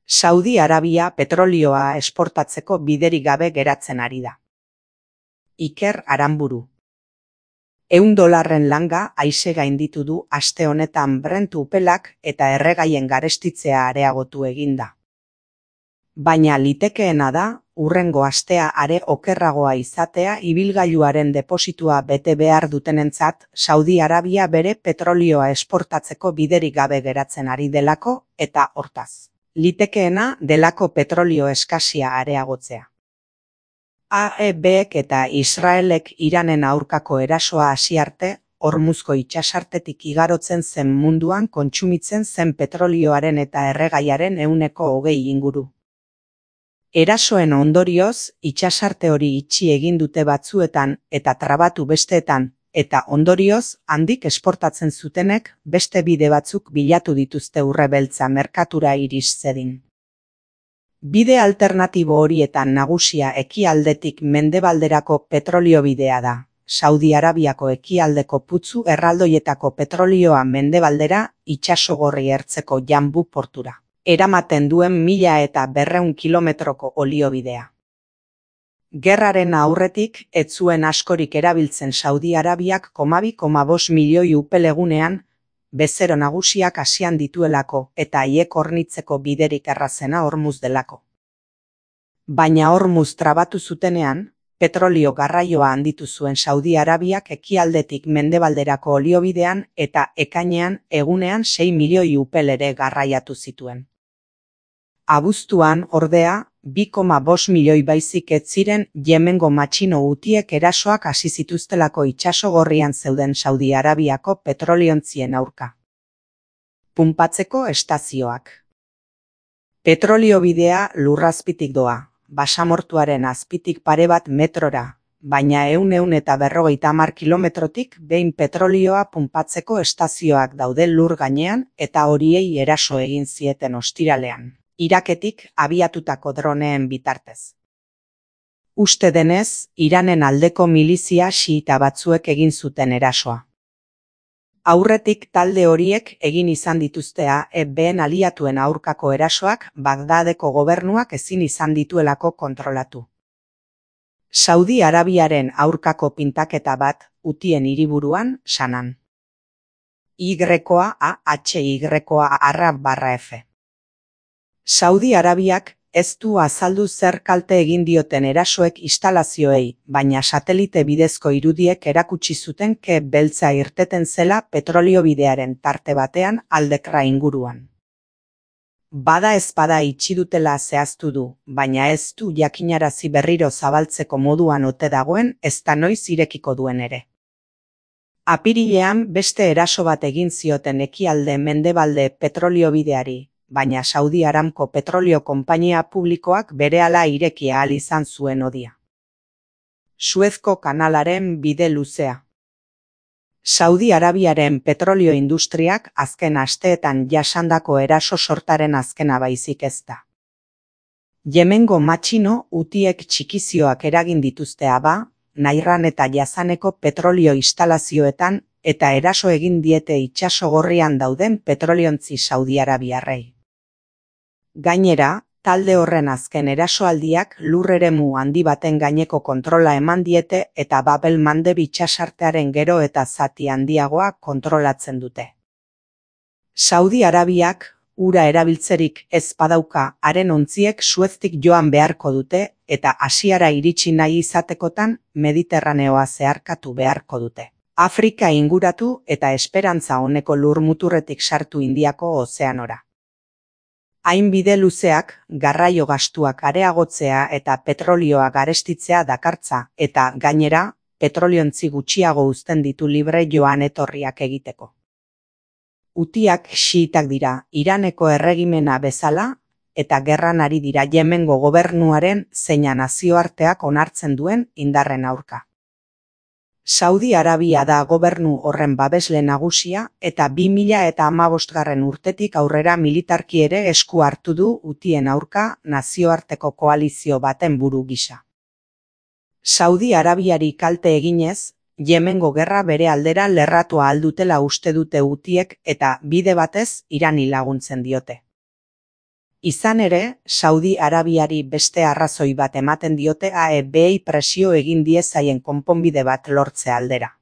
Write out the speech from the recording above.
Saudi Arabia petrolioa esportatzeko biderik gabe geratzen ari da. Iker Aranburu. $100 langa aise gainditu du aste honetan Brent upelak eta erregaien garestitzea areagotu eginda. Baina litekeena da, hurrengo astea are okerragoa izatea ibilgailuaren depositua bete behar dutenentzat Saudi Arabia bere petrolioa esportatzeko biderik gabe geratzen ari delako eta hortaz. Litekeena delako petrolio eskasia areagotzea. AEBek eta Israelek Iranen aurkako erasoa hasi arte, Hormuzko itsasartetik igarotzen zen munduan kontsumitzen zen petrolioaren eta erregaiaren 20% inguru. Erasoen ondorioz, itsasarte hori itxi egin dute batzuetan eta trabatu besteetan, eta ondorioz, handik esportatzen zutenek beste bide batzuk bilatu dituzte urre beltza merkatura iris zedin. Bide alternatibo horietan nagusia ekialdetik mendebalderako petrolio bidea da. Saudi Arabiako ekialdeko putzu erraldoietako petrolioa mendebaldera itsasogorri ertzeko Jambu portura. Eramaten duen 1200 kilometroko oliobidea. Gerraren aurretik, ez zuen askorik erabiltzen Saudi Arabiak 2,5 milioi upelegunean, bezero nagusiak Asian dituelako eta haiek hornitzeko biderik errazena Hormuz delako. Baina Hormuz trabatu zutenean, petrolio garraioa handitu zuen Saudi Arabiak ekialdetik mendebalderako oliobidean eta ekainean egunean 6 milioi upel ere garraiatu zituen. Abuztuan, ordea, 2,5 milioi baizik ez ziren Yemengo matxino hutiek erasoak hasi zituztelako itsasogorrian zeuden Saudi Arabiako petroliontzien aurka. Punpatzeko estazioak. Petroliobidea lurrazpitik doa, basamortuaren azpitik pare bat metrora, baina 150 kilometrotik behin petrolioa punpatzeko estazioak daude lur gainean eta horiei eraso egin zieten ostiralean. Iraketik abiatutako droneen bitartez. Uste denez, Iranen aldeko milizia xiita batzuek egin zuten erasoa. Aurretik talde horiek egin izan dituzte AEBen aliatuen aurkako erasoak Bagdadeko gobernuak ezin izan dituelako kontrolatu. Saudi Arabiaren aurkako pintaketa bat Hutien hiriburuan Sanan. YAHY_Arab_F. Saudi Arabiak ez du azaldu zer kalte egin dioten erasoek instalazioei, baina satelite bidezko irudiek erakutsi zuten ke beltza irteten zela petroliobidearen tarte batean Aldekra inguruan. Bada ezpada itxi dutela zehaztu du, baina ez du jakinarazi berriro zabaltzeko moduan ote dagoen ezta noiz irekiko duen ere. Apirilean beste eraso bat egin zioten ekialde mendebalde petroliobideari, baina Saudi Aramco petrolio konpainia publikoak berehala ireki ahal izan zuen odia. Suezko kanalaren bide luzea. Saudi Arabiaren petrolio industriak azken asteetan jasandako eraso sortaren azkena baizik ez da. Yemengo matxino hutiek txikizioak eragin dituzte Nairan eta Jazaneko petrolio instalazioetan eta eraso egin diete itsasogorrian dauden petroliontzi Saudi Arabiarrei. Gainera, talde horren azken erasoaldiak lur-eremu handi baten gaineko kontrola eman diete eta Babel Mandeb itsasartearen gero eta zati handiagoa kontrolatzen dute. Saudi Arabiak ura erabiltzerik ez badauka haren ontziek Sueztik joan beharko dute eta Asiara iritsi nahi izatekotan Mediterraneoa zeharkatu beharko dute. Afrika inguratu eta esperantza honeko lur-muturretik sartu Indiako ozeanora. Hain bide luzeak, garraio gastuak areagotzea eta petrolioa garestitzea dakartza eta, gainera, petroliontzi gutxiago uzten ditu libre joan etorriak egiteko. Hutiak xiitak dira Iraneko erregimena bezala eta gerran ari dira Yemengo gobernuaren zeina nazioarteak onartzen duen indarren aurka. Saudi Arabia da gobernu horren babesle nagusia eta 2015 urtetik aurrera militarki ere esku hartu du Hutien aurka nazioarteko koalizio baten buru gisa. Saudi Arabiari kalte eginez, Yemengo gerra bere aldera lerratua aldutela uste dute Hutiek eta bide batez Irani laguntzen diote. Izan ere, Saudi Arabiari beste arrazoi bat ematen diote AEBei presio egin diezaien konponbide bat lortze aldera.